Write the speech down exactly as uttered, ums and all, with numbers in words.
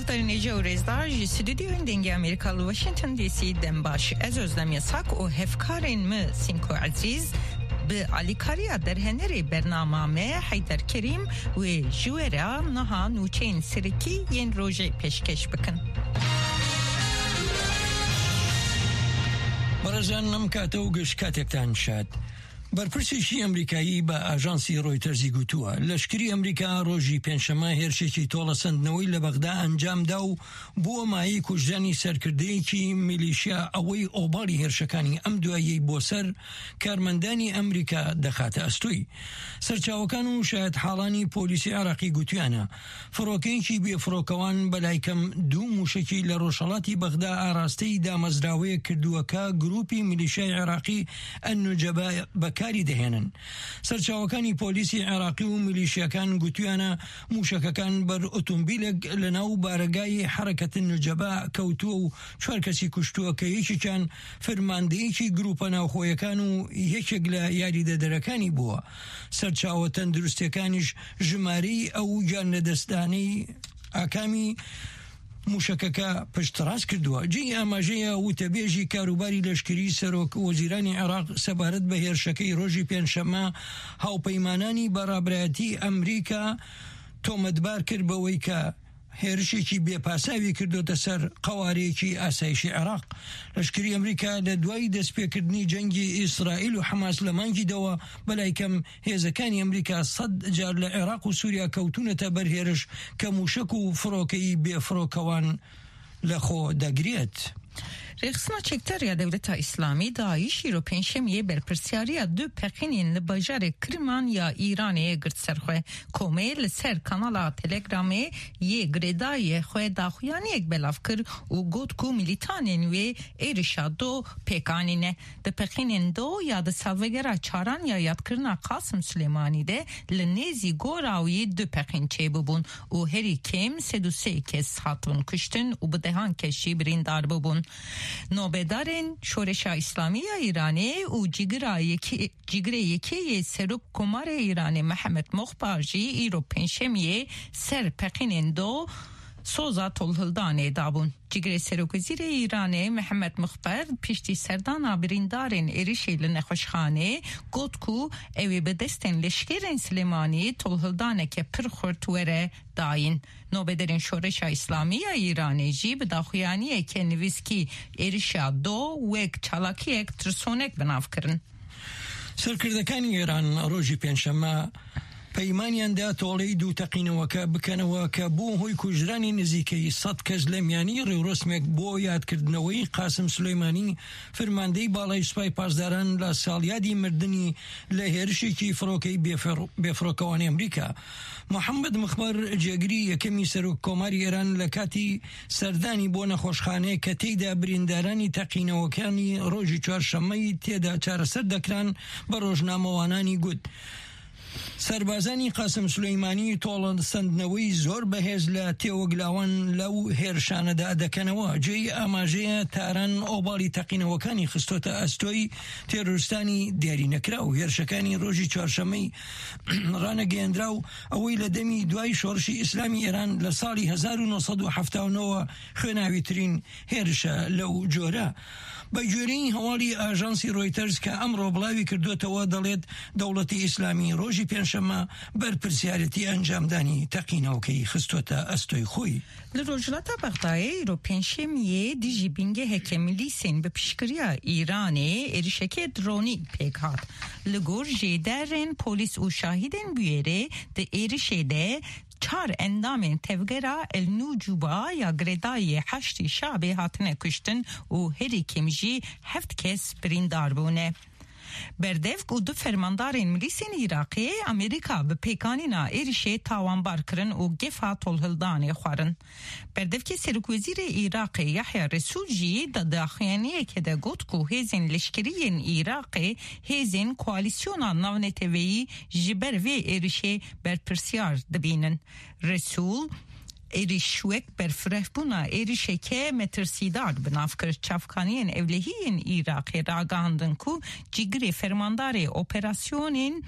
Guhdarên hêja û rêzdar ji stûdyoyên Dengê Amerîka li Washington D C dem baş. Ez Özlem Yasak û hevkarên min Sînko Ezîz bi alîkariya derhenerê bernama me Heyder Kerîm wê ji we re niha nûçeyên serekî yên rojê pêşkêş bikin. Berezan, nem kate û giş katektan şad. بەرپرسێکی ئەمریکایی بە ئاژانسی ڕۆیتەرزی گوتووە، لەشکری ئەمریکا ڕۆژی پێنجشەممە هێرشێکی تۆڵەسەندنەوەی لە بەغدا ئەنجامدا و بووە مایەی کوژرانی سەرکردەیەکی میلیشیا، ئەوەی ئۆباڵی هێرشەکانی ئەم دواییەی بۆ سەر کارمەندانی ئەمریکا دەخاتە ئەستۆی. سەرچاوەکان و شایەت حاڵانی پۆلیسی عێراقی گوتویانە، فڕۆکەیەکی بێفڕۆکەوان بەلای کەم دوو موشکی لە ڕۆژهەڵاتی بەغدا ئاراستەی دامەزراوەیەک کردووە کە گروپی میلیشیای عێراقی ئەنوجەبە بەکاری دەهێنن. سەرچاوەکانی پۆلیسی عێراقی و میلیشیاکان گوتویانە موشەکەکان بەر ئۆتۆمبیلێک لە ناو بارەگای حرەکەت نوجەبە کەوتووە و چوار کەسی کوشتووە کە یەکێکیان فرماندەیەکی گروپە ناوخۆیەکان و یەکێک لە یاریدەدەرەکانی بووە. سەرچاوە تەندروستەکانیش ژمارەی ئەو گیان لەدەستدانەی ئاکامی موشەکەکە پشتڕاست کردووە. جێی ئاماژەیە وتەبێژی کاروباری لەشکری سەرۆک وەزیرانی عێراق سەبارەت بە هێرشەکەی ڕۆژی پێنجشەممە هاوپەیمانانی بەڕابرایەتی ئەمریکا تۆمەتبار کرد بەوەی کە هێرشێکی بێپاساوی کردوتە سەر قەوارەیەکی ئاسایشی عێراق. لەشکری ئەمریکا لە دوای دەستپێکردنی جەنگی ئیسرائیل و حەماس لە مانگی دەوە بەلای کەم هێزەکانی ئەمریکا سەد جار لە عێراق و سووریا کەوتونەتە بەر هێرش کە موشک و فڕۆکەی بێفڕۆکەوان لە خۆ دەگرێت. Rêxistina Çekdar ya Dewleta Îslamî, DAIŞ, îro pêncşemiyê berpirsiyariya du pexînên li bajarê Kirman ya Îranê girt ser xwe. Komê li ser kanala Telegramê yê girêdayê xwe daxuyaniyek belav kir û got ku milîtanên wê êrişa do pêk anîne. Di pexînên do ya di salvegera çaran ya yadkirina Qasim Silêmanî de li nêzî gora wî du pexîn çêbûbûn û herî kêm sed û sê kes hatibûn kuştin û bi dehan kes jî birîndar bûbûn. Nobedarên Şoreşa Îslamî ya Îranê û Cîgira Yekê, Cîgirê Yekê yê Serok Komarê Îranê Mihemed Moxbar jî îro pêncşemiyê ser pexînên do soza tolhildanê dabûn. Cîgirê Serokwezîrê Îranê Mihemed Muxber piştî serdana birîndarên êrişê li nexweşxanê got ku ew ê bi destên leşkerên Silêmanî tolhildaneke pir xurt were dayîn. Nobederên Şoreşa Îslamî ya Îranê jî bi daxuyaniyeke nivîskî êrişa do wek çalakiyek tirsonek bi nav kirin. سەرکردەکانی ئێران ڕۆژی پێنجشەممە پەیمانیان دا تۆڵەی دوو تەقینەوەکە بکەنەوە کە بوو هۆی کوژرانی نزیکەی سەد کەس لە میانی ڕێوڕسمێک بۆ یادکردنەوەی قاسم سلێمانی، فرماندەی باڵای سوپای پاسداران لە ساڵیادی مردنی لە هێرشێکی فڕۆکەی بێفڕ-، بێفڕۆکەوانی ئەمریکا. محەممەد مخبەر، جێگری یەکەمی سەرۆک کۆماری ئێران، لە کاتی سەردانی بۆ نەخۆشخانەیە کە تێیدا بریندارانی تەقینەوەکانی ڕۆژی چوارشەممەی تێدا چارەسەر دەکران، بە ڕۆژنامەوانانی گوت، سەربازانی قاسم سلەیمانی تۆڵەسەندنەوەی زۆر بەهێز لە تێوەگلاوان لەو هێرشانەدا دەکەنەوە. جێی ئاماژەیە تاران ئۆباڵی تەقینەوەکانی خستۆتە ئەستۆی تێرۆریستانی دیاری نەکراو. هێرشەکانی ڕۆژی چوارشەممەی ڕانەگەیەندرا و ئەوەی لە دەمی دوای شۆڕشی ئیسلامی ئێران لە ساڵی هەزار و نۆ سەد و حەفتا و نۆ خوێناویترین هێرشە لەو جۆرە. بە گوێرەی هەواڵی ئاژانسی ڕۆیتەرز کە ئەمڕۆ بڵاوی کردوتەوە، دەڵێت دەوڵەتی ئیسلامی ڕۆژی پێنجشەممە بەرپرسیارەتی ئەنجامدانی تەقینەوەکەی خستوتە ئەستۆی خۆی. Li Rojhilata Bexdayê îro pêncşemiyê dijî bingeheke milîsên bi piştgiriya Îranê êrişeke dronî pêk hat. Li gor jêderên polîs û şahidên bûyerê di êrişê de çar endamên tevgera El Nûcuba ya girêdayî Heşdî Şabê hatine kuştin û herî kêm jî heft kes birîndar bûne. Berdevk û du fermandarên milîsên Iraqê Amerîka bi pêkanîna êrişê tawanbar kirin û gefa tolhildanê xwarin. Berdevkê Serokwezîrê Iraqê Yahya Resûl jî di daxuyaniyekê de got ku hêzên leşkerî yên Iraqê hêzên koalîsyona navneteweyî ji ber vê êrişê berpirsiyar dibînin. Resûl êriş wek berfirehbûna êrişeke metirsîdar bi nav kir. Çavkaniyên ewlehî yên Iraqê ragihandin ku cîgirê fermandarê operasyonên